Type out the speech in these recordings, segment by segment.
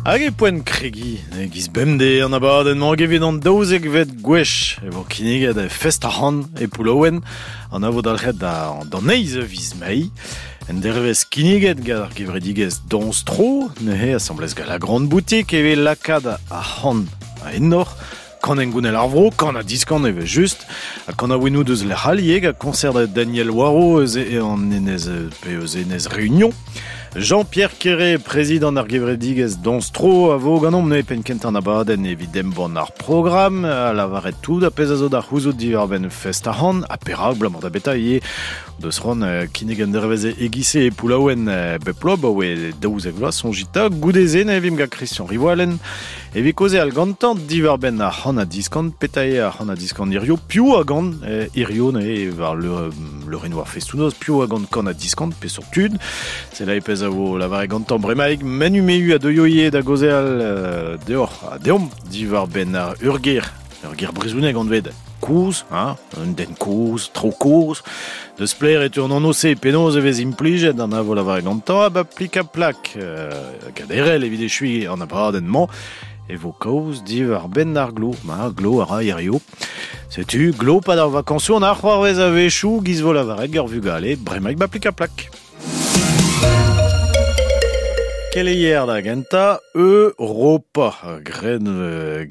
Hag e poent kregiñ e-giz bemdez an abadenn-mañ hag evit an daouzekvet gwech e vo kinniget e fest ar c'han e Poullaouen an a vo dalc'het d'an eizh a viz Mae. En dervezh kinniget gant ar gevredigezh Dañs Tro, neuze asambles gant la Grande Boutique evit lakaat ar c'han a enor Kan hengounel ar vro, kan ha diskan evel-just, ha kanaouennoù deus lec'h all ivez, gant koñsert Daniel Waro eus an enez, pe eus enez Réunion. Jean-Pierre Quéré, prezidant ar gevredigezh Dañs-Tro, a vo ganeomp neuze penn kentañ an abadenn evit embann ar programm, ha lavaret tout ar pezh a zo da c'houzout diwar-benn fest ar c'han, ha perak, abalamour da beta ivez deus c'hoant kinnig an dervezh e-giz-se e Poullaouen bep bloaz, 'baoe 12 vloaz, soñjit 'ta. Goude-se ne vimp gant Christian Rivoalen Evit kaozeal gantañ diwar-benn ar c'han-ha-diskan, petra eo ar c'han-ha-diskan hirio, piv a gan hirio neuze war leurennoù ar festoù-noz, piv a gan kan-ha-diskan, peseurt tud. C'est là pezh a vo lavaret gantañ bremaik Manu Mehu a deuio ivez da gaozeal deoc'h ha deomp diwar-benn ar ur ger, ur ger brezhonek anvet kozh, hein, un den kozh, tro kozh. Deus splaer e teu an anv-se, penaos e vez implijet an a vo lavaret gantañ, ha ba plik-ha-plak kaderel evit echuiñ an abadenn-mañ e vo kaoz diwar-benn ar glo. Ma, glo a ra hirio. Setu, glo pad ar vakañsoù an ar c'hoarvez a-wechoù, giz vo lavaret gant vugale, bremaik ba plik-ha-plak. Keleier da gentañ Europa. Graet,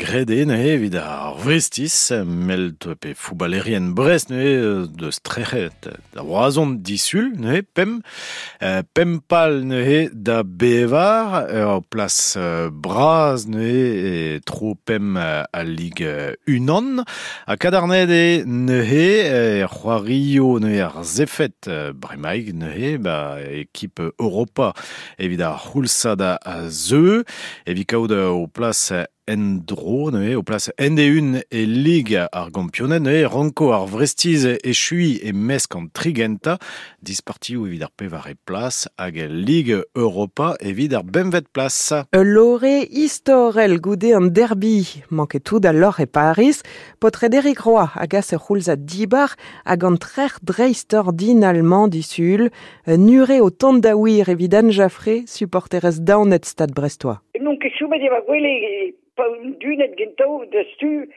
graet eo neuze evit ar Vrestiz, melt pe fouballerien Brest neuze deus trec'het da Roazhon disul neuze pemp pemp pal neuze da bevar ur plas bras neuze e tro pemp al Lig unan. Ha kadarnaet eo neuze e c'hoario neuze ar Zefed bremaik neuze ba ekip Europa evit ar c'houlzad a zeu evit kaout ho plas en-dro neuze ho plas end-eeun e Lig ar Gampioned neuze ranko ar Vrestiz echuiñ e-mesk an tri gentañ dispartioù evit ar pevare plas hag Lig Europa evit ar bempvet plas. Ul lore istorel goude an derby. Manket tout al loc'h e Pariz. Paotred Eric Roy a gas ur c'houlzad dibar hag an trec'h dreistordinal-mañ disul. Un ure o tont da wir evit Anne Jaffré, supporterez daonet Stad Brestois. N'on ket chomet e va gwele pa on dunet gentañ da stu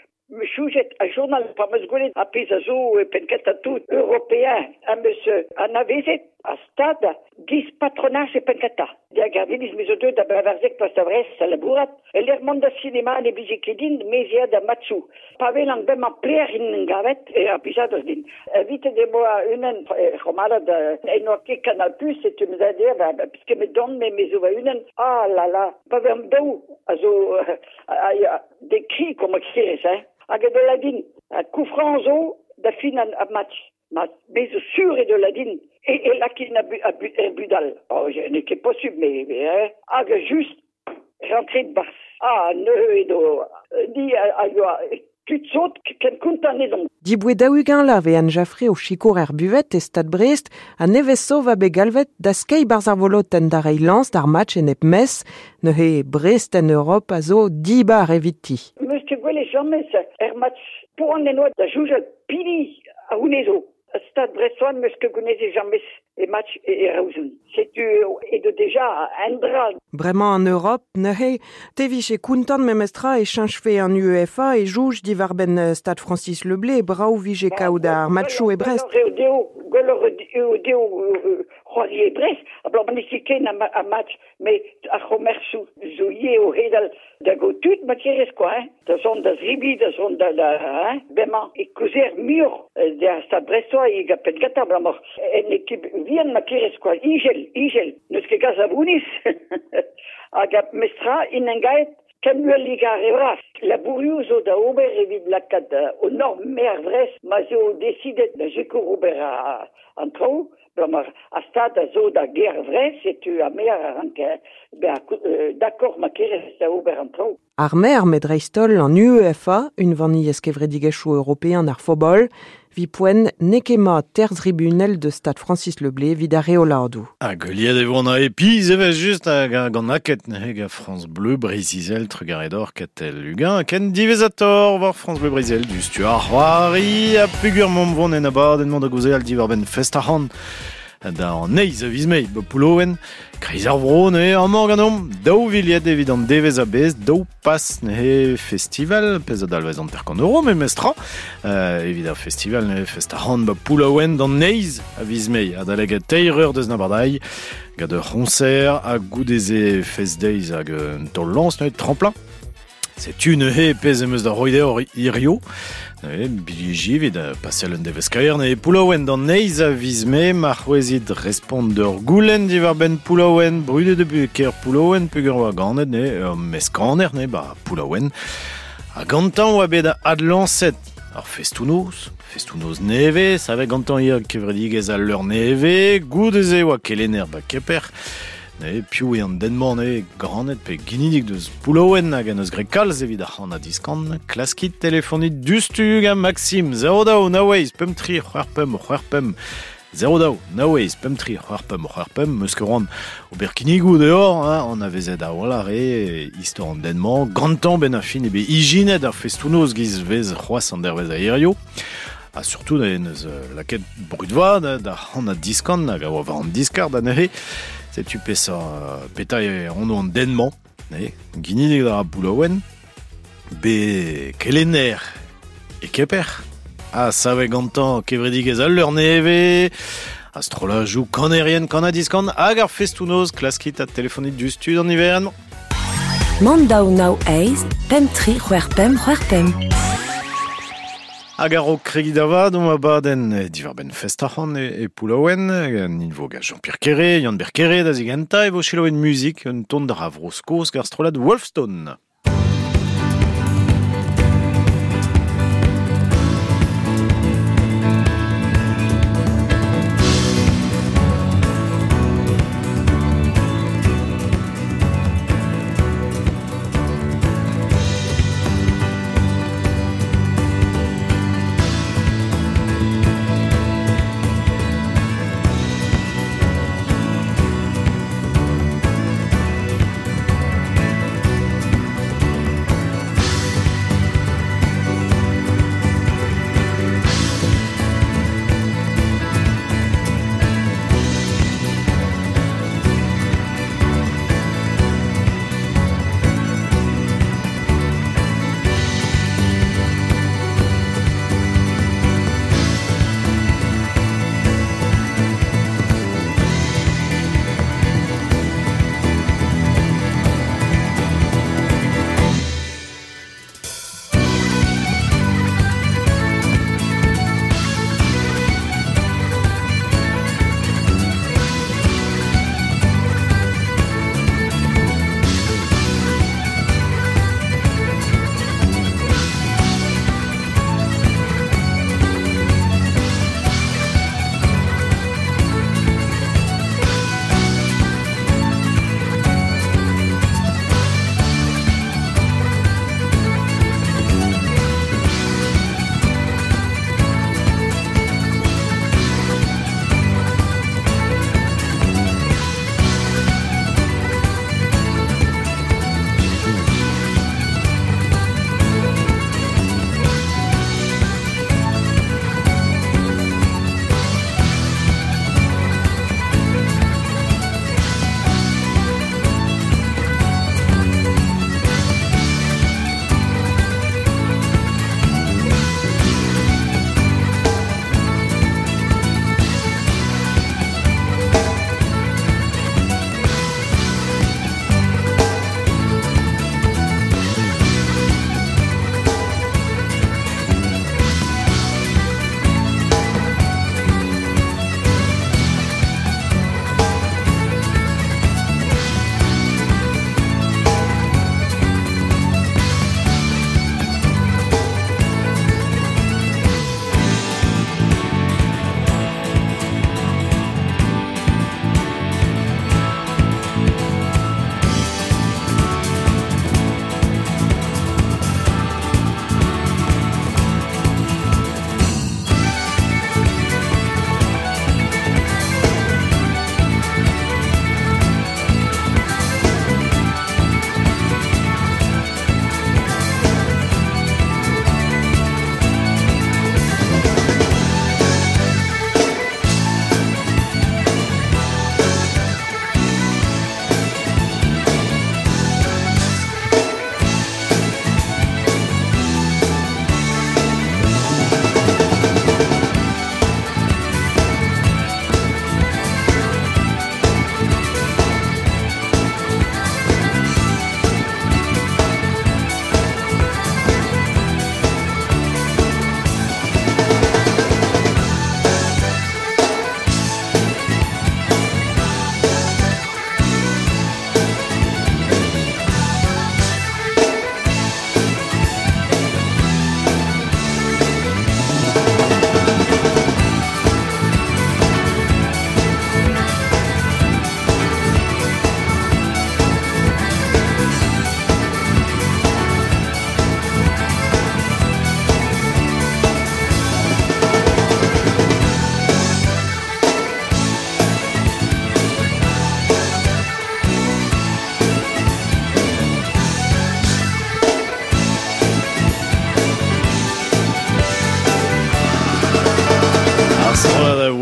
Choujet a journal pa 'm eus gwelet ar pezh a zo e penn-kentañ tout european am eus anavezet ar stad giz patronaj e penn-kentañ. Da Gardiniz me zo deuet da bevarzek plas da Vrest da labourat. E-lec'h mont da sinema ne blije ket din, me 'z ea da matchoù. Pa welan bremañ pelec'h int en gavet e ra plijadur din. Evitet e boa unan c'homalad en oa ket Canal Plus setu me 'z ea da puisque me don me me zo va-unan. Ah là là, pa vez daou a zo a de kri comme kerez hein. Hag e de din coup franc zo da fin an match. Ma me zo sur e de la din e, e lakin a, bu, a, bu, er budal. Oh, n'eo ket possible, mais, mais hein. Hag just rentret bars. Ah, neuze edo di a, a yoa tud sot ken kontant edon. Diboe daou-ugent vloaz eo Anne Jaffré o sikour er buvet e Stad Brest ha nevez zo va bet galvet da skeiñ barzh ar volotenn da reiñ lañs d'ar match enep Metz. Neuze Brest en Europ a zo dibar eviti. Meus ket gwelet james er match poan en oa da soñjal pini a c'hounezo. Stad Brestois meus ket gounezet james e match e Raouzon. Setu edo deja un dra. Bremañ an Europ neuze te vije kontant memestra e cheñchfe an UEFA e jouj diwar-benn Stad Francis Le Blé brav vije kaout ar matchoù e Brest. Gwelloc'h eo dezho, gwelloc'h eo dezho c'hoari e Brest, abalamour n'eo ket ken a match Met ar c'homersoù zo ivez o hedal da gaout tud ma kerez kwa hein, da zont da zebriñ, da zont da, da hein. Bremañ e kaozeer muioc'h d'ar Stad Brestois eget penn-kentañ abalamour en ekip vihan ma kerez kwa, ijel, ijel, n'eus ket kalz a vouniz. Hag ar mestra int engaet ken uhel ar re vras. Labourioù zo da ober evit lakaat o norm maer Vrest ma 'z eo desidet da sikour ober an traoù. Bremañ ar stad a zo da gêr Vrest, setu ar maer a rank bezañ d'accord ma kerez da ober an traoù. Ar maer, met dreist-holl an UEFA, unvaniezh kevredigezhioù european ar fobol, 'vit poent n'eo ket mat terzh tribunel deus stad Francis Le Blé evit ar reoladoù. Hag heuliet e vo an AEPIZ evel-just hag gant aked neuze gant France Bleu Breizh-Izel trugarez deoc'h Katell Lugan ken diwezhatoc'h war France Bleu Breizh-Izel diouzhtu ar c'hoari ha peogwir m'omp vont en abadenn-mañ da gaozeal diwar-benn fest ar c'han. Da an eiz a viz mae, ba Poulouen, kreiz ar vro ne amañ ganeomp, daou viliet evit an devez a bez, daou pas ne festival, pez a dalvez an terkant euro, me mestra, evit ar festival ne fest ar c'hant ba Poulouen d'an eiz a viz mae, adaleg teir eur deus nabardai, gant ur c'honser ha goudeze fest deiz hag un taol lañs ne tremplin. Setu neuze pezh em eus da roit deoc'h hirio. Neuze, bilhiji evit pasel un devezh kaer ne Poullaouen d'an eiz a viz mae ma c'hwezit respont d'ur goulenn diwar-benn Poullaouen, brudet eo ker Poullaouen peogwir oa ganet ne ur meskaner ne ba Poullaouen. Ha gantañ oa bet adlañset ar festoù-noz, festoù-noz nevez, savet gantañ ivez kevredigezh al leur nevez, goude-se oa kelenner ba Keper. Ne, piv eo an den-mañ ne ganet pe ginidik deus Poullaouen hag en eus graet kalz evit ar c'han ha diskan. Klaskit telefonit dustu gant Maxime 02 nav eizh 5 3 6 5 6 5 02 nav eizh 5 3 6 5 6 5 meus ket c'hoant ober kinnigoù deoc'h, hein, anavezet a-walc'h eo istor an den-mañ. Gantañ benn ar fin eo bet ijinet ar festoù-noz giz vez c'hoazh an dervezh a hirio. Ha surtout en eus lakaet brud vat da c'han ha diskan hag a oa war an diskar da neuze. Setu peseurt petra eo anv an den-mañ, ne, ginidig da Poullaouen, bet kelenner e Keper, ha savet gantañ kevredigezh al leur nevez, ha strollajoù kanerien kan-ha-diskan hag ar festoù-noz klaskit ha telefonit diouzhtu d'an niverenn-mañ. Mann daou nav eizh pemp tri c'hwec'h pemp c'hwec'h pemp. Hag a-raok kregiñ da vat omp abadenn diwar-benn fest arc'hant e Poullaouen, nin vo gant Jean-Pierre Kéré, Yann-Ber Kéré da zigentañ e vo selaouet muzik un ton d'ar Vro-Skos gant ar strollad Wolfstone.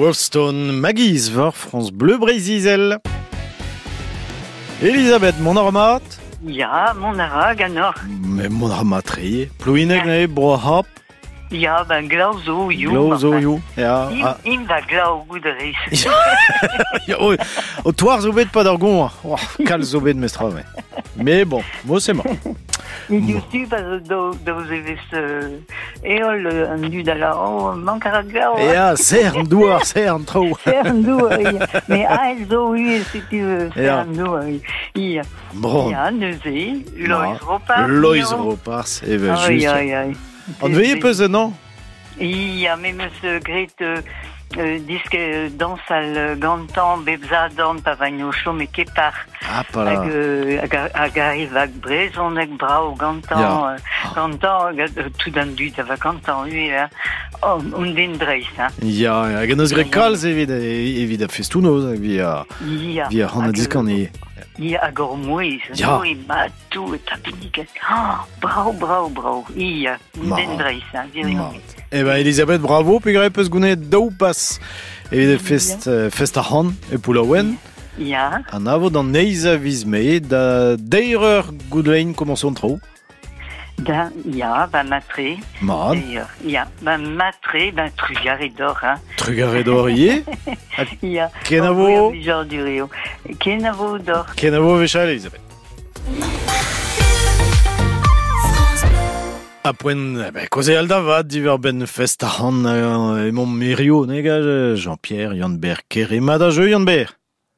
Wolfstone, Maggie's war France Bleu Breizh-Izel. Elisabeth, mont a ra mat? Ya, mont a ra ganeoc'h. Mais mont a ra mat tre. Plouinek neuze, bro ar C'hab. Ya, ben glav zo you. Glav zo you. Ya. Im, ah. im va glav gout a rez. Ya, o, o toar zo bet pad ar goñv. Oh, kalz zo bet mestra, mais. Mais bon, mo c'est mort. Met diouzhtu pa zo daou zevezh heol an dud a lâr oh mank a ra glav. Ya, serr an douar, serr an traoù. Serr an douar, ya. Mais aet zo ivez setu serr an douar. Ya. Bon. Ya, neuze, Loeiz Ropars. Loeiz Ropars, evel just. Ai, ai, ai. Anveet peus non? Ya, me 'meus graet disk dañsal gantañ bep sadorn pa vaint o chom e Kepar. Ah, pas là. Hag, hag arriv hag brezhoneg brav gantañ, Ya. gantañ, tout an dud a va gantañ ivez, hein. Oh, un den dreist, hein. Ya, hag en eus graet kalz evit, evit ar festoù-noz, evit ar, Ya. evit ar c'han Hag, diskan ivez. Ya, hag hor mouezh, Ya. mouezh mat tout, eta binniget. Ah, brav, brav, brav. Ya, un Mat. den dreist, hein, gwirion. Mat. Eh ben, Elisabeth, bravo, peogwir peus gounezet daou pas evit fest, fest ar c'han e Poullaouen. Ya. An avo d'an eizh a viz Mae, da deir eur goudlein komañs an traoù. Da, ya, ba matre. Mat. Ya, ba matre, ba trugarez deoc'h, hein. Trugarez deoc'h ivez. Ya. Kenavo. Kenavo. eo. Kenavo deoc'h. Kenavo wechall, Elisabeth. A poent, eh ben, kaozeal da vat diwar-benn fest ar c'han emañ Merio, ne gaj, Jean-Pierre, Yann-Ber Kerema da jeu, Yann-Ber.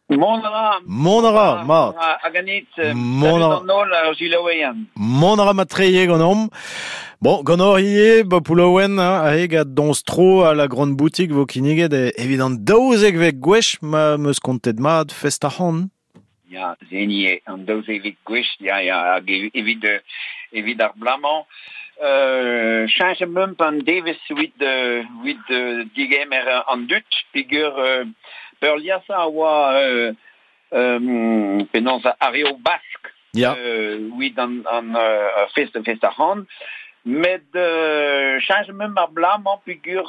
Mont a ra. Mont a ra, mat. Hag anit, Mont a ra. an holl ar jilaoueian. Mont a ra matreie ganeomp. Bon, gant ivez, ba Poullaouen, hein, aze gant dañs tro a la grande boutique vo kinniget evit an daouzekvet gwech ma 'm eus kontet mat fest ar c'han. Ya, zeni an daouzekvet gwech, ya, ya, hag evit, evit ar blamañ. Cheñch meump an devezh evit, evit digemer an dud, peogwir peurliesañ a oa penaos ar reo Bask Ya. evit an, an fest, fest ar c'han. Met cheñch meump ar blamañ peogwir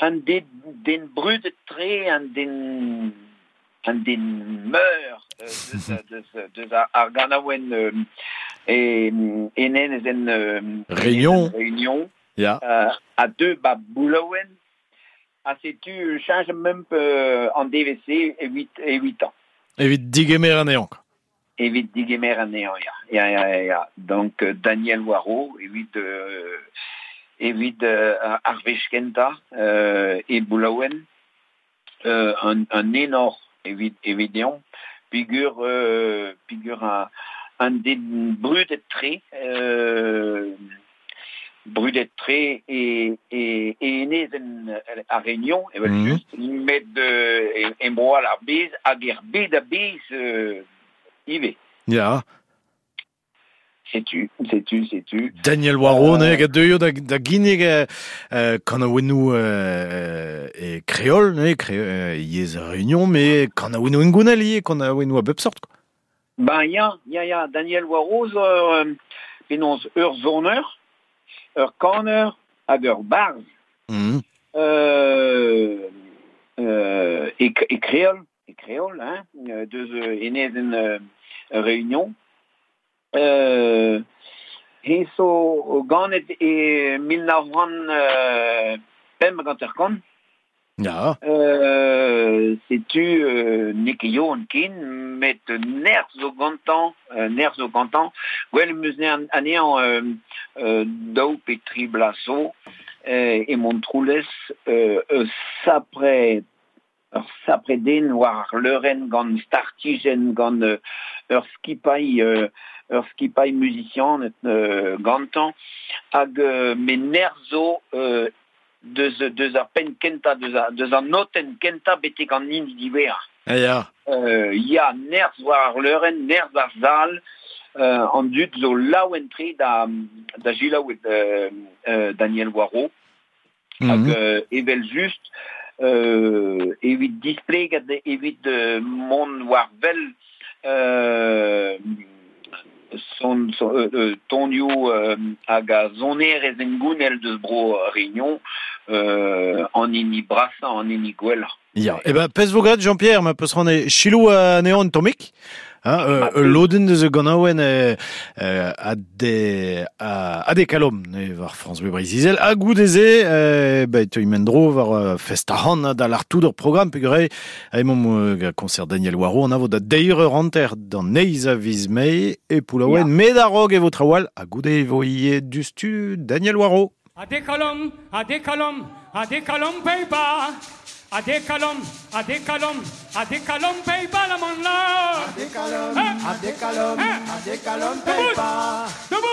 an den, den brudet-tre, an den an den meur deus, deus, deus ar, ar ganaouenn e, enen ezen Réunion. Réunion Ya. a deux ba Boulouen a setu cheñch meump an DVC evit evit ans. Evit digemer anezhañ. Evit digemer anezhañ, ya. Ya, ya, ya, ya. Donc Daniel Waro, evit evit ar wech kentañ e Boulouen, un, un enor evit evit deomp, peogwir peogwir un den brudet-tre brudet-tre e, e, e enezenn ar Réunion, evel just, met e, e bro all ar bez hag er bed a-bezh ivez. Ya. Setu, setu, setu. Daniel Waro, ne, gant deuio da, da ginnig kanaouennoù e kreol, ne, kre, yezh Réunion, mais kanaouennoù hengounel ivez, kanaouennoù a bep sort, quoi. Ben ya, ya, ya, Daniel Waro zo penaos ur soner, ur kaner hag ur barzh. E, e kreol, e kreol, hein, deus enezenn Réunion. He zo ganet e 1950. Ya. Setu n'eo ket yaouank ken, met nerzh zo gantañ, nerzh zo gantañ. Gwell em eus anezhañ daou pe tri bloaz zo e Montroulez eus sapre ur sapre den war ar leurenn gant startijenn, gant ur skipailh ur skipailh musician gantañ hag me nerzh zo deus, deus ar penn kentañ, deus, ar, deus an notenn kentañ betek an hini diwezhañ. Ya. Ya, nerzh war ar leurenn, nerzh ar sal, an dud zo laouen-tre da, da selaou Daniel Waro. Hag evel just, evit displeget, evit mont war wel son, son, tonioù hag a sonerezh hengounel deus bro Réunion, an hini brasañ, an hini gwellañ. Ya, e ben pezh vo graet Jean-Pierre, ma peus ran e chilou anezhañ un tammig. Hein, lodenn deus ganaouenn a de kalom ne war France Bleu Breizh-Izel ha goude-se ba e teuy mendro war fest ar da l'artout ur programm peogwir emaomp concert Daniel Waro an a vo da deir eur hanter d'an eizh a viz Mae e Poullaouen met a-raok e vo trawal ha goude e vo ivez dustu Daniel Waro. A dekalom, a dekalom, a dekalom peipa. A dekalom, a dekalom, a dekalom peipa la mon la. A dekalom, a dekalom, a dekalom peipa.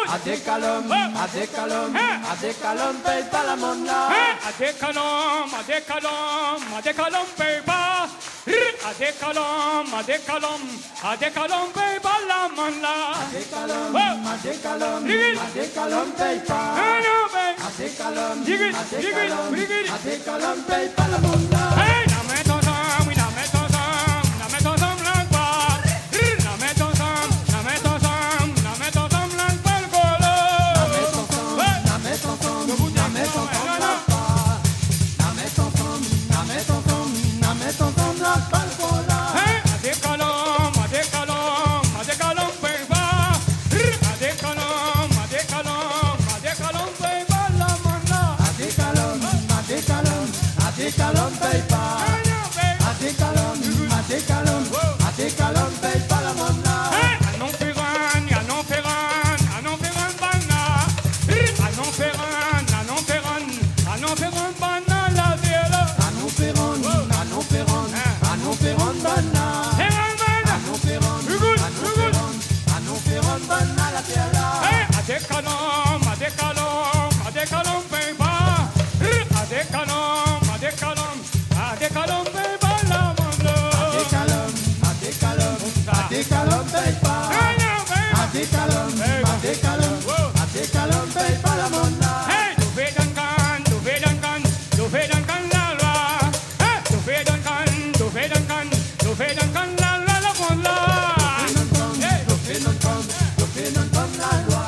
A dekalom, a dekalom, a dekalom peipa la mon la. A dekalom, a dekalom, a dekalom peipa. A dekalom, a dekalom, a dekalom peipa la mon la. A dekalom, a dekalom, a dekalom peipa. A dekalom, a dekalom, a dekalom peipa la mon la. Hey, na met ensemble, na met ensemble, na met ensemble la kwa. Na met ensemble, na met ensemble, na met ensemble la kwa le golo. Na met ensemble, na met ensemble, na met ensemble la kwa. Na met ensemble, na met ensemble, na met ensemble la kwa le golo. Hey, a dekalom, a dekalom, a dekalom peipa. A dekalom, a dekalom, a dekalom peipa la mon la. A dekalom, a dekalom, a dekalom peipa. A dekalom, a dekalom, a dekalom peipa la mon la. A non ferran, a non ferran, a non ferran banna. A non ferran, a non ferran, a non ferran banna la viola. A non ferran, a non ferran, a non ferran banna. A non ferran, a non ferran, a non ferran banna la viola. A dekalom, a dekalom, a dekalom peipa. A dekalom, a dekalom, a dekalom peipa la mon la. A dekalom, a dekalom, a dekalom peipa. A dekalom, a dekalom, a dekalom peipa la mon la. Hey, do ve dan kan, do ve dan kan, do ve dan kan la la. Hey, do ve dan kan, do ve dan kan, do ve dan kan la la la mon la. Do ve dan kan, do ve dan kan la loi.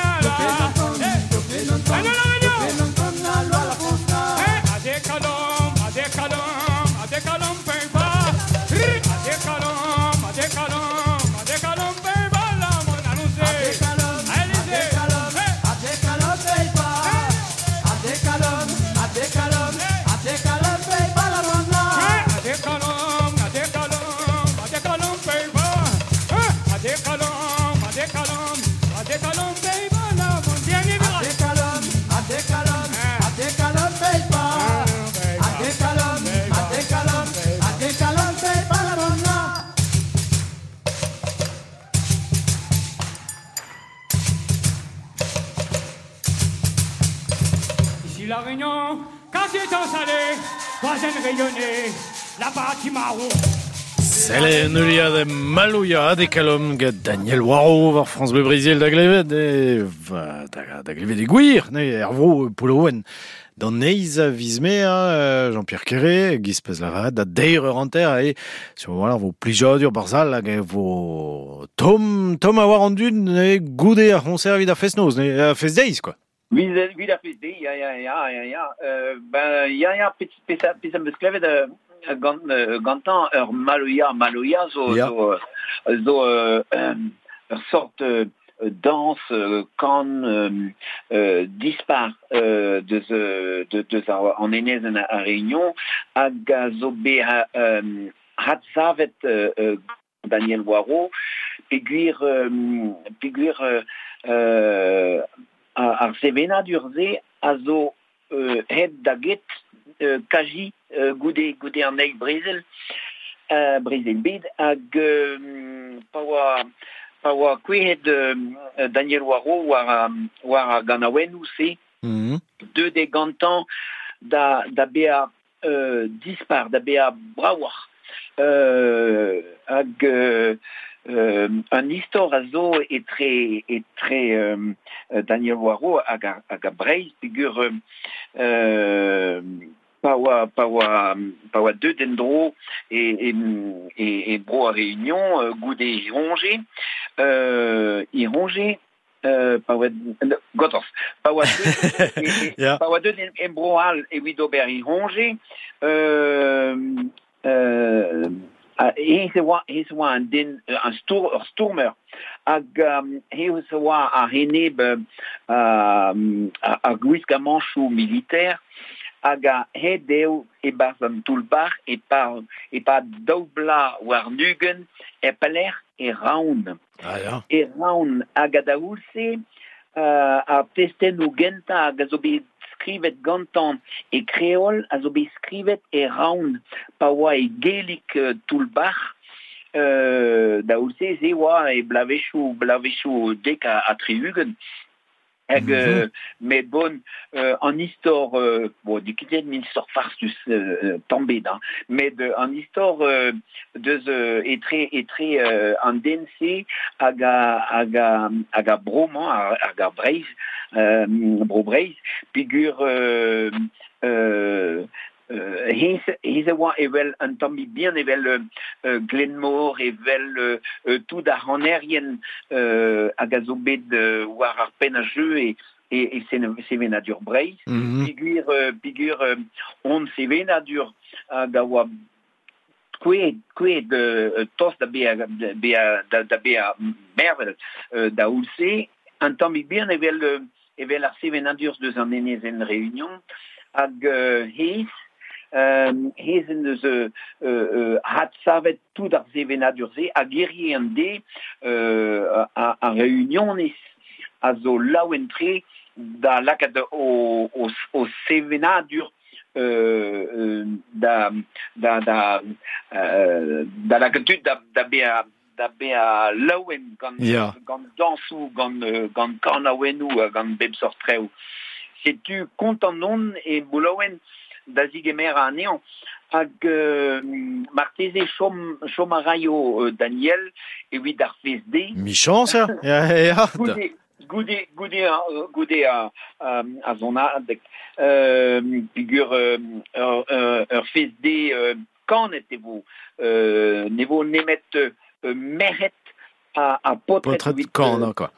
Do ve dan kan, do ve dan kan, do ve dan kan la loi la France la. Hey, a dekalom, a dekalom, a dekalom peipa. A dekalom, a dekalom, a dekalom peipa la mon annonce. A dekalom, a dekalom, a dekalom peipa. A dekalom, a dekalom, a dekalom peipa la mon la. A dekalom, a dekalom, a dekalom peipa. A dekalom, a dekalom, a dekalom peipa la mon. A dekalom, a dekalom, a dekalom peipa. A dekalom, a dekalom, a dekalom peipa la mon la. Ici la Réunion, quartier salé, troisième rayonné, la partie marron. Sell neulia de Maloya de kalom gant Daniel Waro war France Bleu Brésil da glevet e va da glevet e gwir ne er vro Poullaouen. D'an eizh a viz Mae, Jean-Pierre Quéré, giz pez lavaret, da deir eur hanter e sur voilà vo plijadur barzal hag e vo tom a war an dud ne goude ar c'honser evit ar fest-noz, ne ar fest-deiz quoi. Vid ar fest-deiz, ya, ya, ya, ya, ya. Ben, ya, ya, pezh am eus klevet gantañ ur maloya zo, Ya. zo ur sort danse kan dispar deus an enez en a Réunion hag a zo bet hadsavet Daniel Waro peogwir ar sevenadur-se a zo het da get kaji goude an eil brezel bed hag pa oa kouezhet Daniel Waro war ar ganaouennoù-se deut eo gantañ da bezañ dispar, da bezañ bravoc'h hag un istor a zo etre Daniel Waro hag a Breizh peogwir pa oa deut en-dro e bro a Réunion goude ironje Pa oa gortoz, pa oa deuet pa oa deuet en bro all evit ober e c'hoñje, hennezh e oa hennezh e oa un den un stour ur stourmer hag hennezh e oa a-enep ar gwiskamanchoù militer hag aet eo e-barzh an toull-bac'h e-pad daou bloaz warn-ugent e pelec'h e Raon. Ah ya. E Raon hag a-daol-se ar testennoù gentañ hag a zo bet skrivet gantañ e kreol a zo bet skrivet e Raon pa oa e gellig toull-bac'h da c'houlz-se se oa e bloavezhioù bloavezhioù dek ha tri-ugent. Hag met bon, an istor, bon, n'eo ket un istor farsus tamm ebet, hein, met an istor deus etre etre an den-se hag hag hag ar bro-mañ, hag ar Breizh, bro Breizh, peogwir hennezh a oa evel un tammig bihan evel Glenmor, evel tout ar c'hanerien hag a zo bet war ar penn a jeu e e sevenadur Breizh. Peogwir peogwir hon sevenadur hag a oa kouezhet kouezhet tost da bezañ da bezañ mervel da c'houlz-se, un tammig bihan evel evel ar sevenadur deus an enezenn Reunion hag hennezh hennezh en deus adsavet tout ar sevenadur-se hag hirie an deiz ar Reunioniz a zo laouen-tre da lakaat o o sevenadur da da da da lakaat tud da da bezañ da bezañ laouen gant gant dañsoù, gant gant kanaouennoù ha gant bep seurt traoù. Setu kontant on e Boulaouen da zigemer anezhañ hag marteze chom chom a raio Daniel evit ar fest-deiz. Michañs, ya, ya, ya. Goude goude goude goude ar sonadeg peogwir ur ur fest-deiz kanet e vo ne vo nemet merc'hed ha paotred Paotred kanañ, quoi.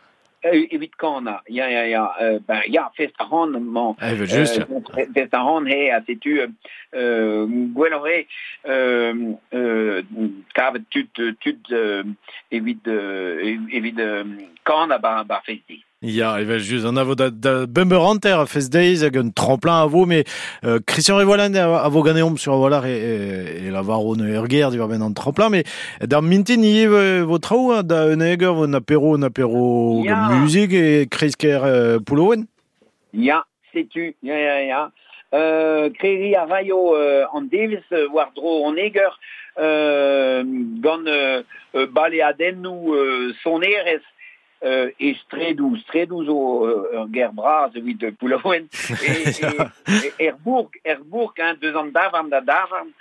Evit kanañ, ya, ya, ya. Ben ya, fest ar c'han-mañ. Evel-just, ya. Fest ar c'han, he, ha setu gwelloc'h eo kavet tud tud evit evit kanañ 'ba fest-deiz. Ya, evel-just, an a vo da, da bemp eur hanter a fest-deiz hag un tremplin a vo, mais Christian Rivoalen a vo ganeomp sur a-walc'h e, e, e lavaro ur ger diwar-benn an tremplin, mais d'ar mintin ivez vo traoù, hein, da unnek eur vo un apéro, un apéro Ya. musique e kreiz-kêr Poulouen. Ya, setu, ya, ya, ya. Kregiñ a raio an devezh war-dro an eger gant baleadennoù sonerezh E straedoù, straedoù zo ur ger bras evit Poullaouen. E, e, er bourg, er bourg, hein, deus an davarn da davarn,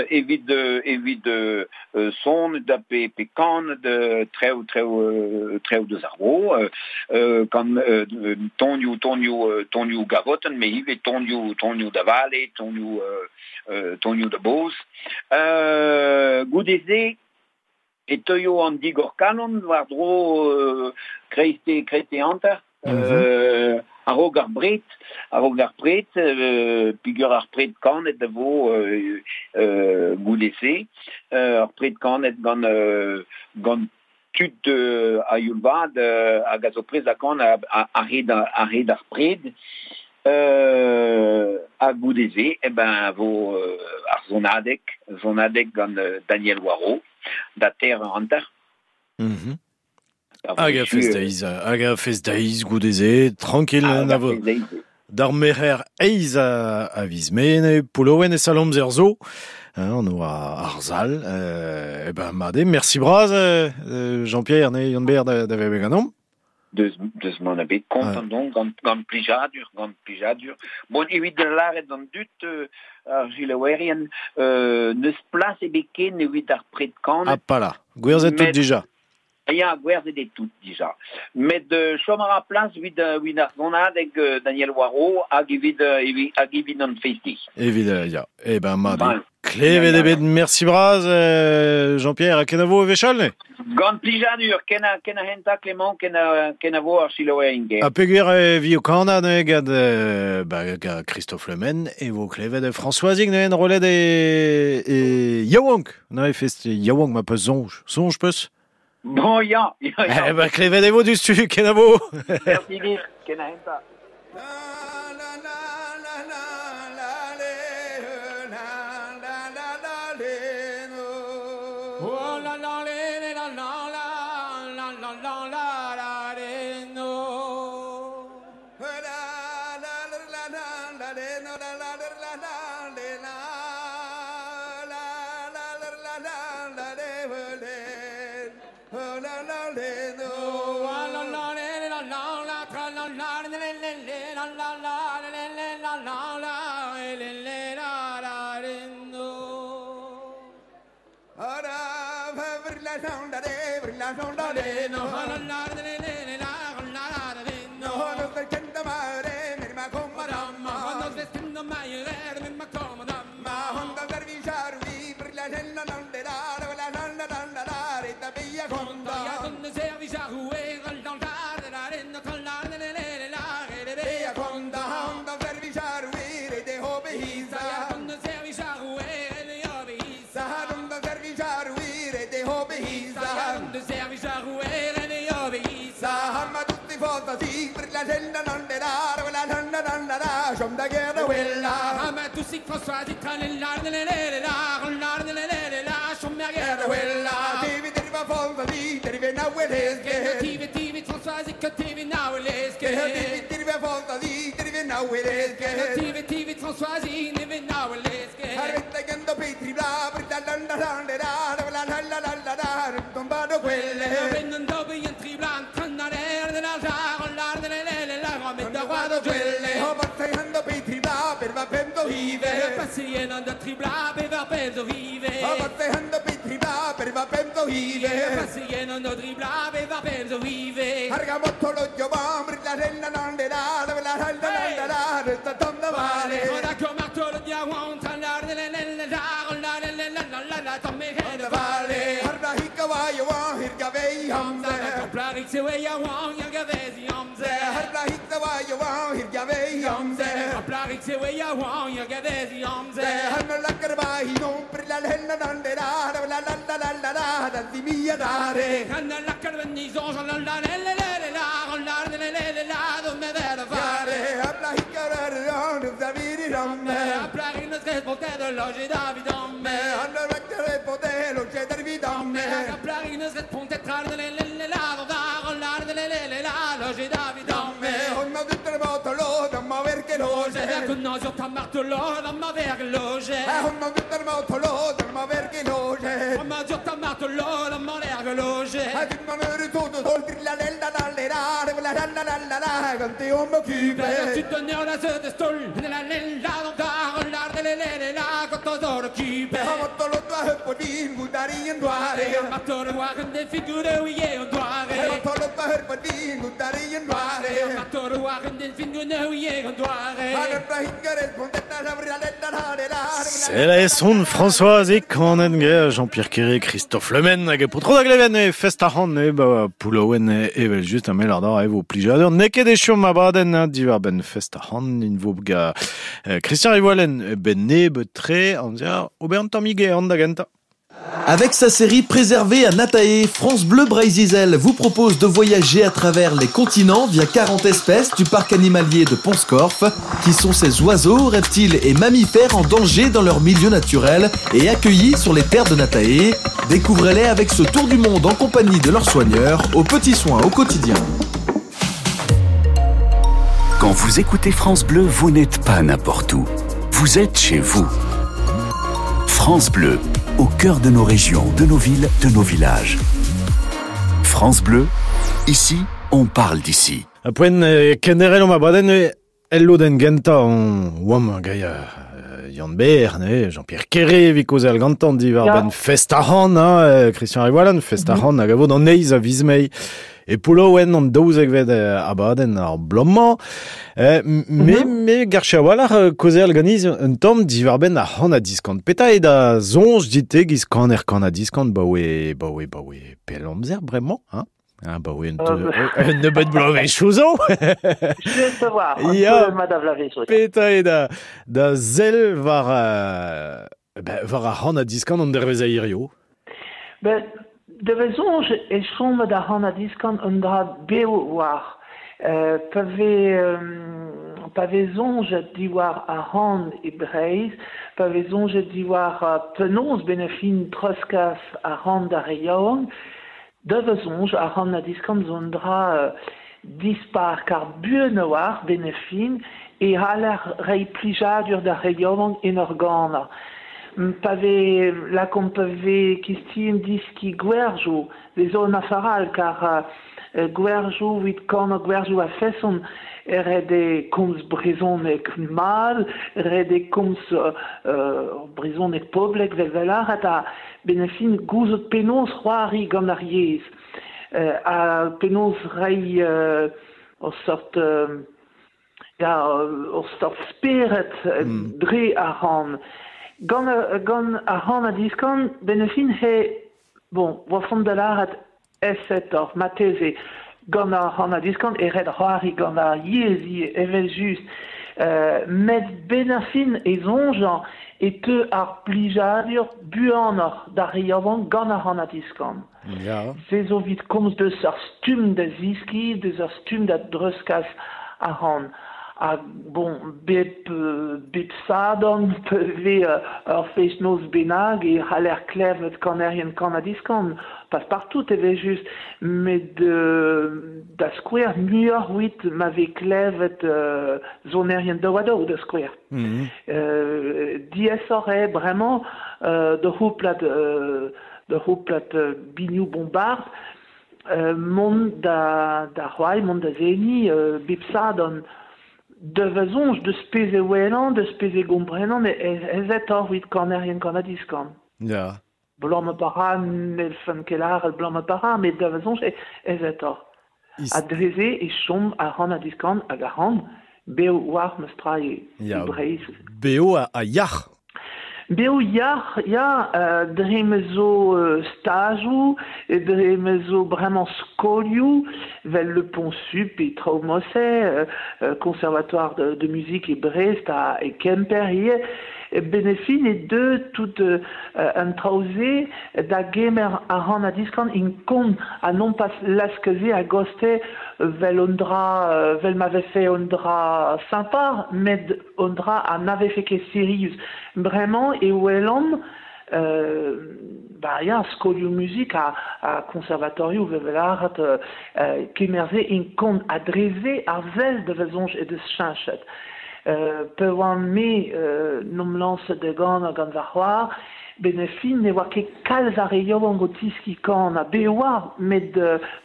evit evit son da pe pe kan de trev trev trev deus ar vro, kan tonioù tonioù tonioù gavotenn, met ivez tonioù tonioù da vale, tonioù tonioù da boz. Goude-se e teuio an digor-kalon war-dro kreiste kreiste hanter a-raok ar bred a-raok ar pred peogwir ar pred kanet a vo goude-se ar pred kanet gant gant tud a-youl vat hag a zo prest da kanañ a-hed a-hed ar pred ha goude-se eh ben vo ar sonadeg sonadeg gant Daniel Waro da teir eur hanter. Hag a fest-deiz, hag a fest-deiz goude-se, tranquille, na vo. D'ar merc'her eizh a viz Mae, Poulouen e Salomzer zo, hein, on oa ar sal. Eh ben, mat eo, merci bras, Jean-Pierre, ne Yann-Ber da, da vezañ ganeomp. Deus, deus man ebet kontant on gant, gant plijadur, gant plijadur. Bon, evit lâret d'an dud, ar selaouerien, n'eus plas ebet ken evit ar pred kanet. Ah, pas là. Gwerzhet tout dija. Ya, gwerzhet eo tout dija. Met chom a ra plas evit evit ar sonadeg Daniel Waro hag evit hag evit an feiz-deiz. Evit, ya. Eh ben, mat eo. Klevet eo bet, mersi bras, Jean-Pierre, ha kenavo e wechall, ne? Gant plijadur, ken a, ken a hentañ, Clément, ken a, kenavo ar selaouerien Ha peogwir e vi o kanañ neuze gant, ba, gant Christophe Le Men, e vo klevet Françoisig neuze enrollet e, e yaouank. Neuze fest yaouank ma peus soñj. Soñj peus? Bon, ya, ya, ya. Eh ben, klevet e vo diouzhtu, kenavo. Merci dit, ken a hentañ. C'est la son Françoise e kanet ge Jean-Pierre Kéré, Christophe Le Men hag e potro da gleven e fest ar e ba Poulouen evel just a mel ar da e vo plijadur n'eo ket echu ma badenn diwar ben fest ar in vo ga Christian Rivoalen ben neb tre an zia ober an tammig an da gentañ. Avec sa série Préservée à Natae, France Bleu Breizh-Izel vous propose de voyager à travers les continents via 40 espèces du parc animalier de Pont-Scorff, qui sont ces oiseaux, reptiles et mammifères en danger dans leur milieu naturel et accueillis sur les terres de Natae. Découvrez-les avec ce tour du monde en compagnie de leurs soigneurs, aux petits soins au quotidien. Quand vous écoutez France Bleu, vous n'êtes pas n'importe où. Vous êtes chez vous. France Bleu, au cœur de nos régions, de nos villes, de nos villages. France Bleu, ici, on parle d'ici. A poent kenderel omp abadenn El lodenn gentañ on oamp gaia Yann Ber, ne, Jean-Pierre Kéré evit kaozeal gantañ diwar-benn fest ar c'han, hein, Christian Rivoalan, fest ar c'han hag a vo d'an eizh a viz Mae. E Poullaouen an daouzekvet abadenn ar bloaz-mañ. Me, me garche a-walc'h kaozeal ganiz un tamm diwar-benn ar c'han ha diskan. Petra eo da soñj dit-te giz kaner kan ha diskan baoe, baoe, baoe pell amzer bremañ, hein? Ah bah oui, un nebeud bloavezhioù zo. Just a-walc'h, un Ya. peu mat a vloavezhioù. Petra eo da, da sell war, ben, war ar c'han ha diskan an dervezh a hirio? Ben, da va soñj e chom da c'han ha diskan un dra bev war. Pa vez pa vez soñjet diwar ar c'han e Breizh, pa vez soñjet diwar penaos benn ar fin treuzkas ar c'han d'ar re yaouank, Da va soñj, ar c'han ha diskan zo un dra dispar kar buan a-walc'h benn ar fin e c'haller reiñ plijadur d'ar re yaouank en ur ganañ. Pa vez lakaomp pa vez kistin diskiñ gwerjoù, vez zo un afer all kar gwerjoù evit kanañ gwerjoù a-feson ret eo komz brezhoneg mat, ret eo komz brezhoneg poblek 'vel 'vel lâret ha benn ar fin gouzout penaos c'hoari gant ar yezh ha penaos reiñ ur seurt ya ur seurt spered dre ar c'han. Gant gant ar c'han ha diskan benn ar fin he bon 'oa font da lâret aesetoc'h marteze gant ar c'han ha diskan e ret c'hoari gant ar yezh ivez evel-just. Met benn ar fin e soñjañ e teu ar plijadur buanoc'h d'ar re yaouank gant ar c'han ha diskan. Ya. Se zo evit komz deus ar stumm da zeskiñ, deus ar stumm da dreuzkas ar c'han. Ha bon, bep bep sadorn pa vez ur fest-noz bennak e c'haller klevet kanerien kan-ha-diskan, pas partout evel-just, met da skouer muioc'h evit ma vez klevet sonerien daou-ha-daou da skouer. Diaesoc'h eo bremañ d'ur c'houplad d'ur c'houplad binioù bombard mont da da c'hoari, mont da seniñ bep sadorn. Da va soñj, deus pezh e welan, deus pezh e gomprenan, aezetoc'h evit kanerien kan-ha-diskan. Ya. Bloaz ma para, n'hellfen ket lâret bloaz ma para, met da va soñj eo aezetoc'h. Ha dre-se e chom ar c'han-ha-diskan hag ar c'han bev war ma stra e Breizh. Bev ha yac'h. Bev yac'h, ya, dre ma zo stajoù, dre ma zo bremañ skolioù, 'vel Le Pont Sup e Traoù-Mosse, Conservatoire de musique e Brest ha e Kemper ivez, benn ar fin e deu tout an traoù-se da gemer ar c'han-ha-diskan int kont ha nompas lask-se a-gostez 'vel un dra 'vel ma vefe un dra sympa, met un dra ha na vefe ket sirius. Bremañ e welan ba ya, skolioù muzik ha, ha konservatorioù 'vel lâret kemer-se int kont ha dre-se ar sell da va soñj he deus cheñchet. Pa oan-me 'n em lañset da ganañ gant va c'hoar, benn ar fin ne oa ket kalz a re yaouank o tiskiñ kanañ. Bez e oa, met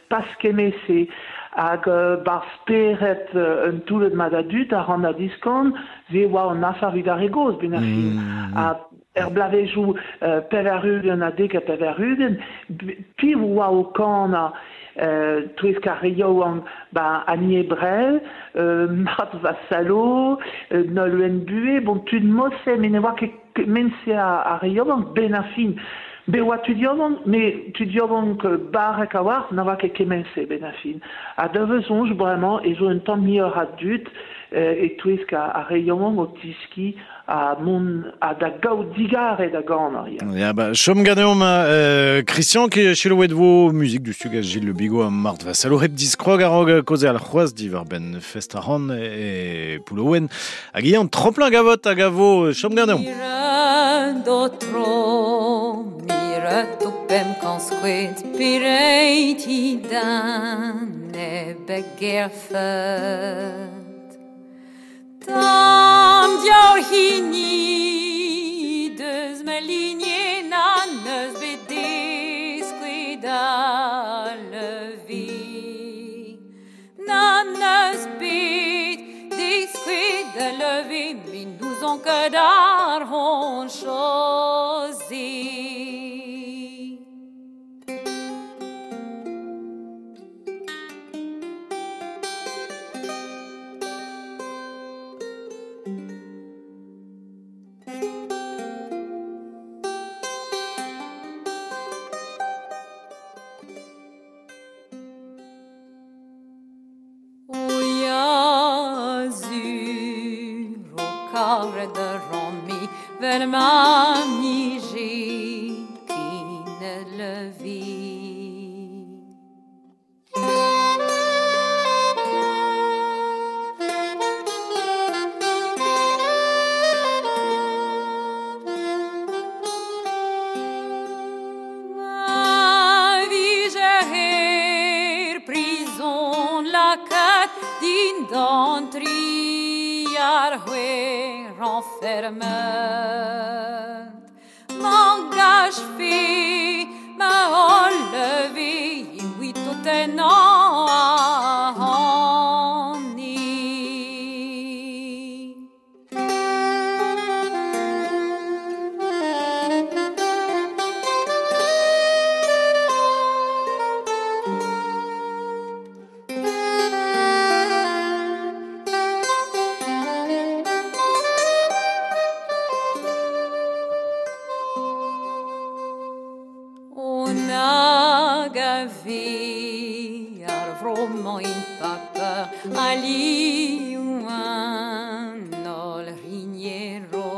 pas kement-se. Hag 'barzh spered un toullad mat a dud a ran a-diskan, se oa an afer evit ar re gozh benn ar fin. Ha er bloavezhioù 80 ha 90, piv oa o kanañ touesk ar re yaouank? Ba Annie Ebrel, Marthe Vassallo, Nolwenn Buhé, bon tud mod-se, met ne oa ket kement-se ar re yaouank benn ar fin. Bet oa tud yaouank, met tud yaouank barrek a-walc'h na oa ket kement-se benn ar fin. Ha da va soñj bremañ ez zo un tamm muioc'h a dud e-touesk ar re yaouank o tiskiñ ha mont ha da gaout digarez da ganañ. Ya. Ya, ba, chom ganeomp Christian, ki selaouet vo muzik du stug a Gilles Le Bigot ha Marthe Vassallo hep diskrog a-raok kaozeal c'hoazh diwar-benn fest ar c'han e Poullaouen. Hag ivez an tremplin gavot hag a vo chom ganeomp. Mire mire pem skoed pireiti dan e begerfet. Tam diaoul hini deus ma lignez nan eus bet deskouet a levi. Nan eus bet deskouet levé, mais nous on ket ar hon chosi. Vel ma nije kin levi. Ma vije her prison la kat din dan tri ar hwe renfermet. M'engage fait, m'a enlevé, oui tout est Ali un ol rignero.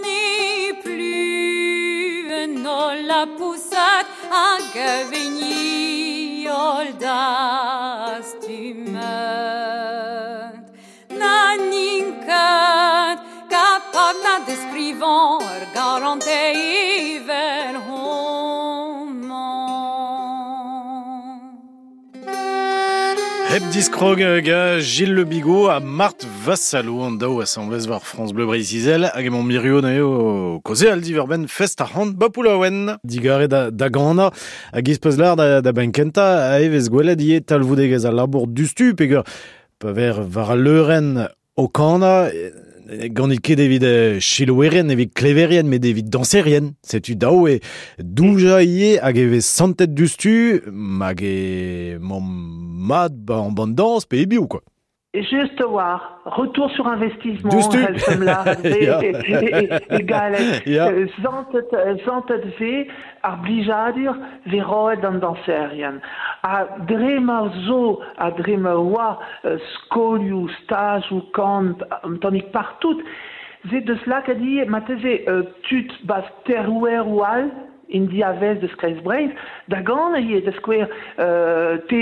N'est plus un ol la poussat hag veni ol das tumet. Naninkat kapab na descrivant ur garante evel homan. Hep diskrog ga Gilles Le Bigot a Marthe Vassalo an daou asamblez war France Bleu Breizh-Izel hag emañ mirio neuze o koze al diverben fest ar c'hant bapoulaouen. Digare da gana hag izpeus lar da benkenta a evez gwelet ie talvoudegez al labour dustu peger pa ver war al leurenn o kana gant ket evit chiloueren, evit kleverien, met evit danserien. Setu daou e douja ie hag evez santet dustu hag e mom mat ba an band dans pe e biou, quoi. Juste war, retour sur investissement, Dustu. Helfem Ya. e galet. Ya. Zantet ve ar blijadur ve roet an danserien. A dre ma zo, a dre ma oa skolioù, stajoù, kan, an tanik partout, ze deus lak a di, mateze tud bas terrouer ou al, in diavez deus Kreiz Breizh, da gant ie, da skouer te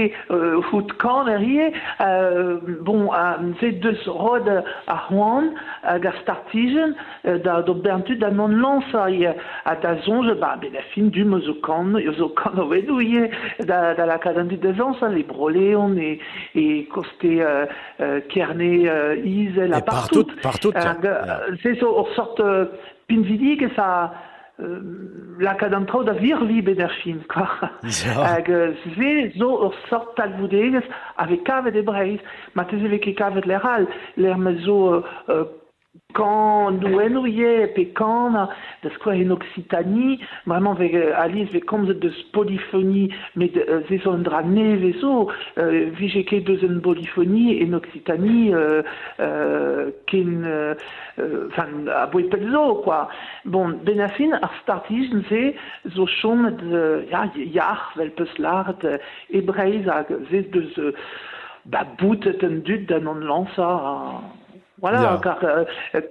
hout kan er ie, bon, ze deus rod a c'hoant hag ar startijen, da do bern tud da non lansa ie, ha da zonj, ba, ben a fin du zo kan, zo kan o vedou ie, da lakaat an dud da zansa, le Broléon e koste Kerne Izel, a E partout, partout. partout, ya. Hag, ze zo ur sort pinvidig e sa lakaat an traoù da virvi bet ar fin, quoi. Ya. Hag ze zo ur sort talvoudegez ave kavet e Breizh, ma teze vez ket kavet l'er all, l'er ma zo kan nouennoù ie, pe kan, da skouer en Occitanie, vraiment vez Alice vez komzet deus polyphonie, met ze zo un dra nevez zo, vije ket deus un polyphonie en Occitanie ken, enfin, a boe pell zo, quoi. Bon, ben a fin, ar startijen ze zo chomet, ya, yar, vel peus lart, e Breizh hag ze deus ba boutet un dud da non lansa, Voilà, Ya. kar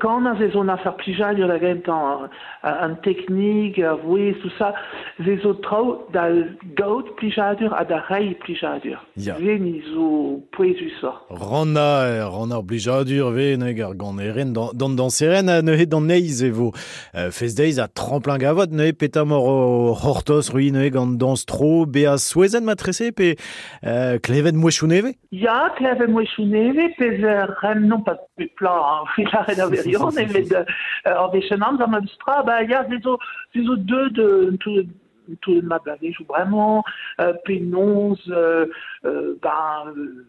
kan a ze zo na fer plijadur da gentañ an teknik, a vouez, tout ça, ze zo traoù da gaout plijadur ha da reiñ plijadur. Ya. Ze ni zo pouezusoc'h. Ranna, ranna ar blijadur ve neg ar ganeren d'an danseren neuze d'an neiz e vo fest deiz a tremplin gavot neuze petamor o c'hortoz rui neuze gant dans tro bea souezen matrese pe klevet mouechouneve? Ya, klevet mouechouneve, pez rem non pas bepla, hein, evit lâret ar wirionez, met ur wech an amzer memes tra, ba ya, se zo, se zo deuet un toullad un toullad mat bloavezhioù bremañ, penaos ben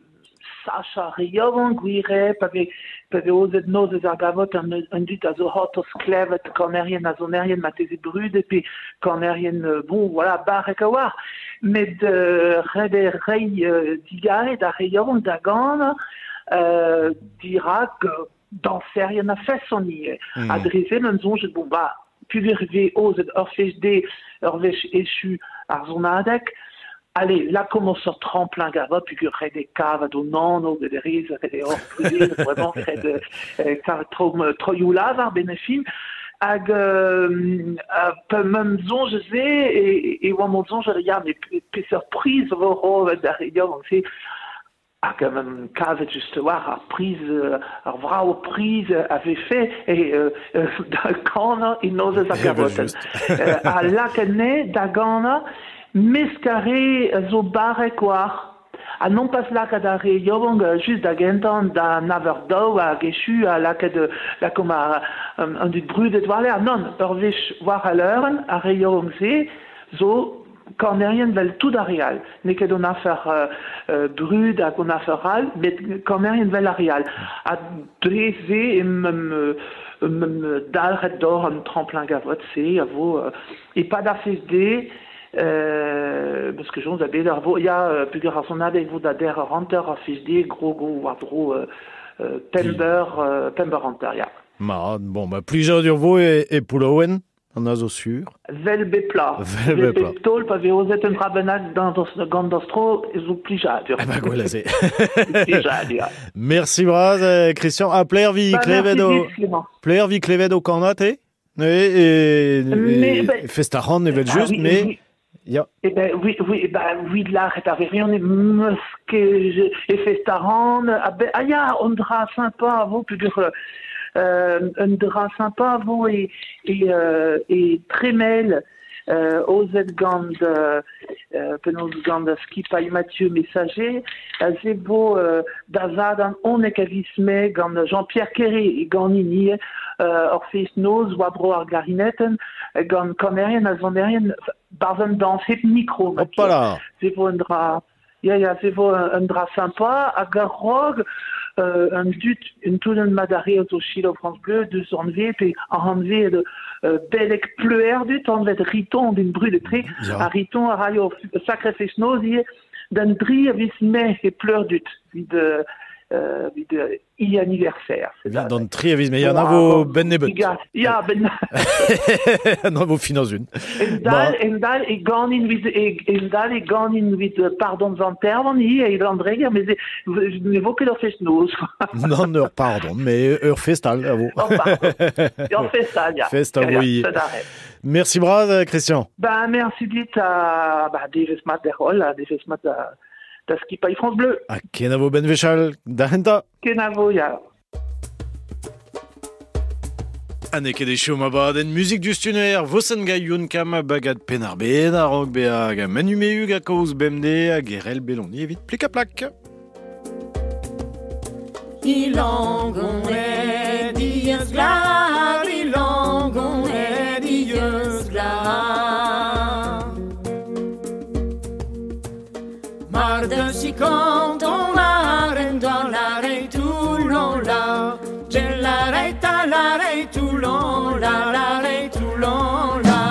sachañ ar re yaouank gwir eo, pa vez pa vez aozet nozvezh ar gavot an an dud a zo c'hortoz klevet kanerien ha sonerien marteze brudet pe kanerien bon voilà barrek a-walc'h met ret eo reiñ digarez d'ar re yaouank da ganañ dirak dañserien a-feson ivez. Ha dre se meump soñjet bon bah peogwir e vez aozet ur fest dezhe ur wech echu ar sonadeg, allez, lakaomp ur seurt tremplin gavot peogwir ret eo kavet hon anv get rez, ret eo hor bruderezh vraiment ret eo kavet troioù-lavar benn ar fin. Hag pa meump soñj se e oamp o soñjal ya met peseurt priz vo roet d'ar re yaouank-se. Hag kavet just war ar priz, ar vrav priz a vefe da ganañ e nozvezh ar gavotenn. Ha lakaet anezhe da ganañ mesk ar re a zo barrek war. Ha nompas lakaat ar re yaouank just da gentañ da nav eur daou hag echu ha lakaet lakaomp an dud brudet war-lerc'h. Nann, ur wech war al leurenn, ar re yaouank-se zo kanerien 'vel tout ar re all. N'eo ket hon afer brud hag hon afer all, met kanerien 'vel ar re all. Ha dre se em dalc'het doc'h an tremplin gavot-se a vo e-pad ar fest-deiz parce que soñj a bet ar vo ya peogwir ar sonadeg vo da der eur hanter ar fest-deiz grogo war-dro pemp eur pemp eur hanter ya. Mat, bon, bah, plijadur vo e Poullaouen. An a zo sur. Vel bep plat. Vel bep plat. Taol pa vez aozet un dra bennak gant dastro ez zo plijadur. Eh ben gwell se. Plijadur. Merci bras Christian. Ha pler vi klevet o pler vi klevet o kanat e e, e fest ar c'han evel just, mais Ya. Eh ben oui, oui, ben oui, lâret ar wirionez meus ket e fest a ran. Ah, ben, ah ya, un dra sympa a vo peogwir un dra sympa a vo e, e, e Tremel aozet gant penaos gant skipailh Mathieu Messager aze vo da zad an 11 a viz Mae gant Jean-Pierre Quéré e ganin ivez ur fest-noz war-dro ar glarinetenn gant kanerien ha sonerien Barzh un dañs hep mikro. Hopala. Se vo un dra ya ya se vo un dra sympa hag a-raok un dud un toullad mat a re zo selaou France Bleu deus anvet pe anvet beleg Pleuerdut anvet Riton din brudet-tre ha Riton a raio sacré fest-noz ivez d'an dri a viz Mae e Pleurdut evit evit e anniversaire. Evit an tri a viz Mae, an avo ben nebeut. Ya, ben... An avo fin an En dal, en dal e ganin vid en dal e ganin vid pardon Zantervan hi e Landreger, mais ne vo ket ur fest-noz. Non, ur pardon, mais ur fest all a vo. Ur fest all, ya. Fest a vo. Merci bras, Christian. Ben, merci dit à bah, devezh mat der holl, devezh mat da da skipailh France Bleu. Ha kenavo ben wechall, da hentañ. Kenavo, ya. Ha n'eo ket echu ma badenn muzik diouzhtuner Vosenn Gaioun kam bagad Penn-ar-Bed a-raok bezañ hag Manu Mehug a kaoz bemdez hag Erel Beloni evit plik-ha-plak. Ilangoned dieus glad, Ilangoned dieus glad. Mar deus kanton laren dans la Toulon la, la la Toulon la la Toulon la.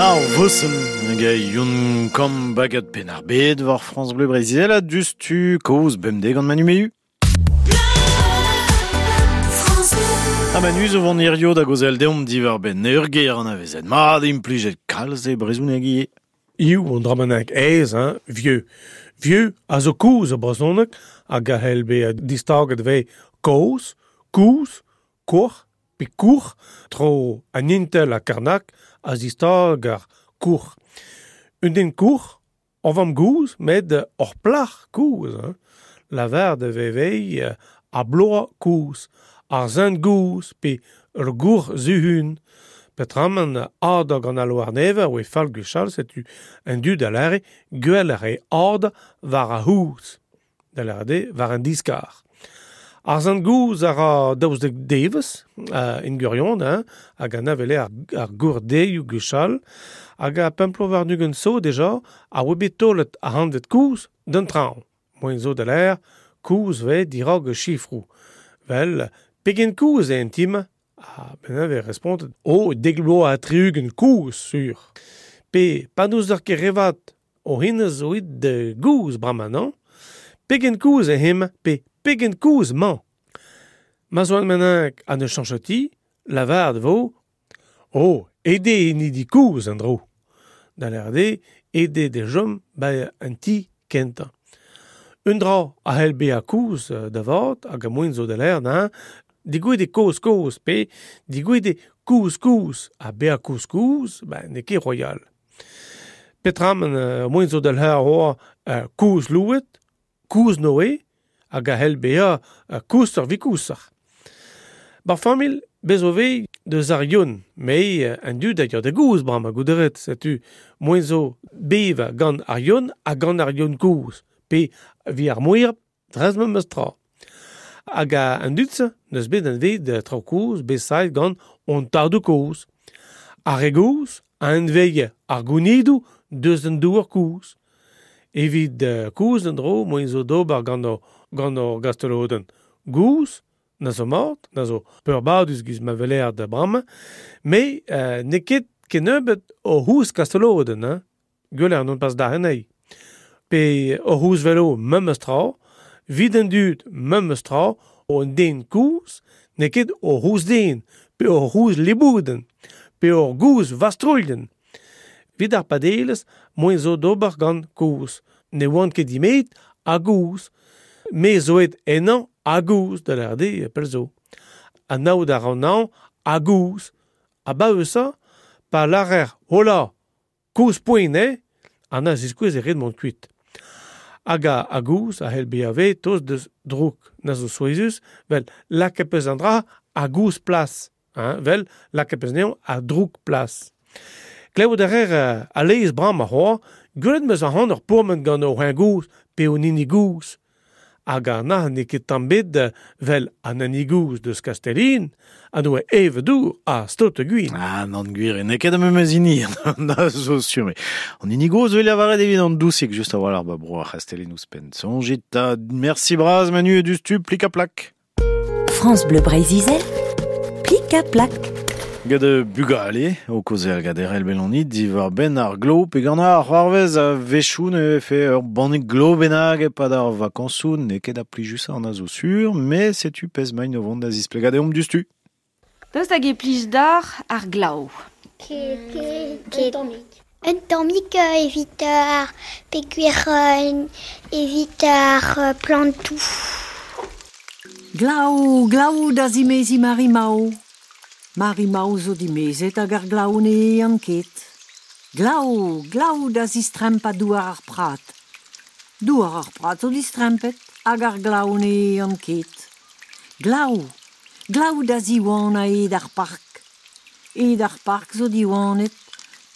Ar vosen hag yon kam bagat pen ar bed war France Bleu Breizh a dustu kaoz bemdez gant Manu Mehu. Ha Manu zo vont hirio da gozel deomp diwar ben ur ger an avezet mat implijet kalz e brezhoneg ivez. Iw an dramanek aes, hein, vieux. Vieux a zo kouz a brezhoneg hag a c'hell bezañ distaget vez koz, kouz, kour, pe kour, tro an intel ha Karnak a zistag ar kour. Un den kour, on vam gouz, met ur plac'h kouz. Hein. Lavar de vevei a bloa kouz, ar zent gouz, pe ur gour zuhun. Petramen ad gant al war never oe fall gwechall, setu un dud a lare gwell a re ad war a houz. Da lare war an diskar. Ar zent gouz a ra daouzek devez, in gurion, hein, hag an avele ar gour deioù gwechall, hag a pemplo war nugen so deja, a oe bet tolet a hanvet kouz d'un traoñ. Moen zo da l'air, kouz ve dirag chifrou. Vel, pegen kouz e intime, ah, ben ave respontet, o, deglo a triugen kouz, sur. Pe, pa nous ur ket revat, o hinez o id de gouz bramañ, non? Pegen kouz e him, pe pegen kouz mañ. Ma zo an menenk an eus chanchoti, lavard vo, o, ede ni di kouz an dro. Da l'erde, ede de jom ba an ti kentañ. Un dra a c'hell bezañ kouz da vat hag a moen zo da l'air, hein, digouet e koz koz, pe digouet e kouz kouz, ha bezañ kouz kouz, ben n'eo ket royal. Petra moen zo da l'air oa kouz louet, kouz noe, hag a c'hell bezañ kouz ar vikousar. Bar familh, bez o vez deus ar yon, me an dud a da gouz bram a gouderet, setu moen zo beva gant ar yon ha gant ar yon kouz, pe vi ar mouir, drez ma meus tra. Hag an dud-se, neus bet an vez de traoù koz, bet saet gant on tardou koz. Ar re goz, a enveie ar gounidou deus an douar koz. Evit koz an dro, moen zo d'ober gant ur gastelodenn. Gouz, na zo mort, na zo peurbadus giz ma veler da bram, me n'eo ket kennebeut o houz kastelodenn, hein? Gweler non pas da anezhi. Pe o houz velo memes tra, vid an dud memes tra, o an den kouz, n'eo ket o houz den, pe o houz libouden, pe o gouz vastrolden. Vid ar padelez, moen zo d'ober gant kouz. Ne oant ket dimet a gouz. Me zo et ennañ a gouz, da l'erde pel zo. An aout ar an an a gouz. A ba eus pa larer, hola, kouz poent, eh? An a ziskouez e ret mont kuit. Hag a gouz a c'hell bezañ vez toz deus drouk na zo souezhus, vel lakaet peus an dra a gouz plas, hein, vel lakaet peus anezhañ a drouk plas. Klevout a rer a lez bram a c'hoa, gwelet meus ac'han ur pourmen gant ur c'hoen gouz pe un hini gouz. Hag an na n'eo ket tamm bet vel an hini gouz deus Kastellin, a noe eve dour a stot gwin. Ah, nan gwir, n'eo ket am memes hini, na zo sur. An hini goz vel lavaret evit an dousik, just a-walc'h ba bro ar C'hastellin ouzhpenn. Soñjit ta, merci braz Manu e dustu, plik a plak. France Bleu Breizh-Izel, plik a plak. Gant bugale, o kozer gant erel belonit, diwar ben ar glo, pe gant ar c'hoarvez a wechoù ne fe ur bannig glo bennak e pad ar vakañsoù, n'eo ket a plijus an a zo sur, mais setu pezh main o vont da zisplegañ deomp dustu. Daoust hag e plij d'ar ar glav. Ket. Un tammig evit ar peogwir evit ar plantoù. Glav, glav da zimezi Mari-Mao. Mari-Mao zo dimezet hag ar glav ne an ket. Glav, glav da zistrempa douar ar prat. Douar ar prat zo distrempet hag ar glav ne an ket. Glav, glav da ziwan a ed ar park. Ed ar park zo diwanet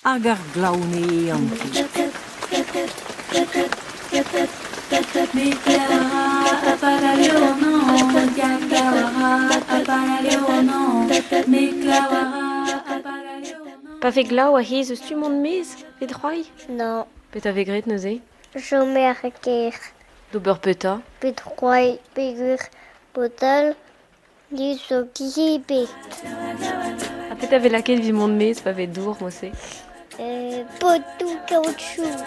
hag ar glav ne an ket. Pa ve glav a hez eus tu mont mez, vet c'hoari? Non. Petra vez graet neuze? Chômer ker. D'ober petra? Bet c'hoari peogwir botal ni zo glebet. Ha petra vez lakaet evit mont mez pa vez dour, mo-se? Potoù kaoutchoug.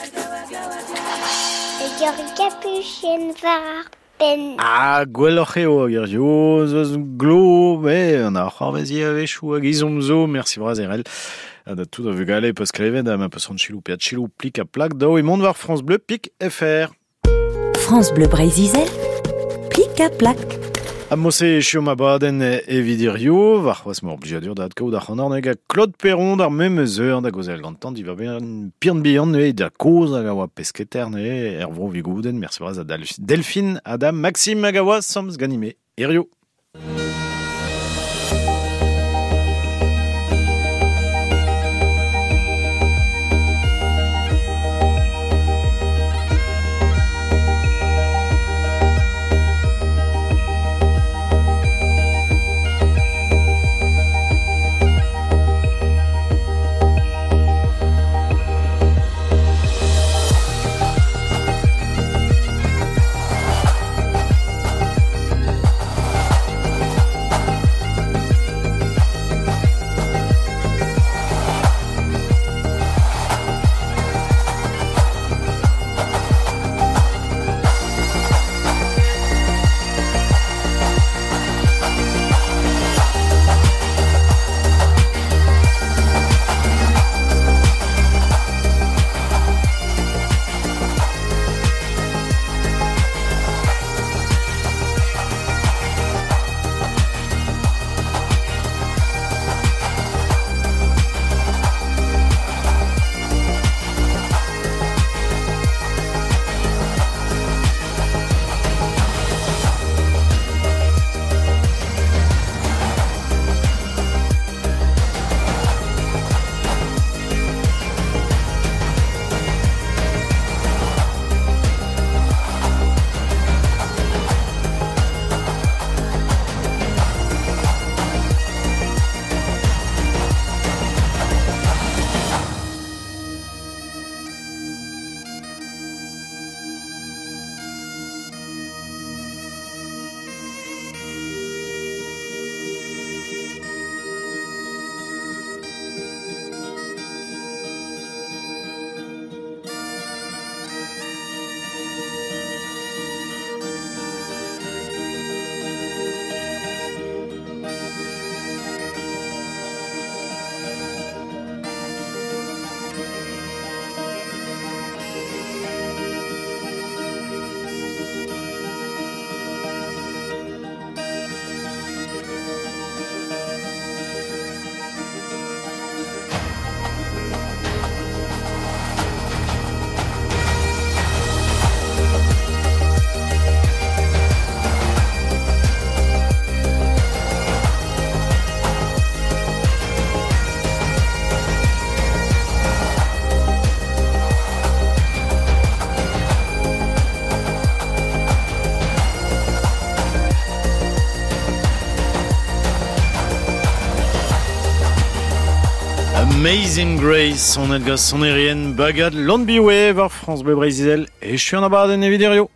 Hag ur gapuchenn war ar penn. Ah, gwelloc'h eo hag hiziv ez eus glo, met an ar c'hoarvez ivez a-wechoù hag ezhomm zo, mersi bras Erell. Ha da tout ar vugale peus klevet ha ma peus c'hoant selaou pe adselaou plik ha plak daou emaon war France Bleu pik FR. France Bleu Breizh-Izel, plik ha plak. Ha mod-se echu ma badenn evit hiziv, warc'hoazh 'ma ur blijadur da adkaout ac'hanoc'h hag Claude Perron d'ar memes eur da gaozeal gantañ diwar-benn Pirn Bihan neuze da kozh hag a oa pesketer neuze er vro Vigoudenn. Mersi bras da Delphine ha da Maxime hag a oa 'sammes ganime hiziv. Amazing Grace, sonet gant sonerien bagad Landbiwe war France Bleu Breizh-Izel. Echu an abadenn evit hiziv.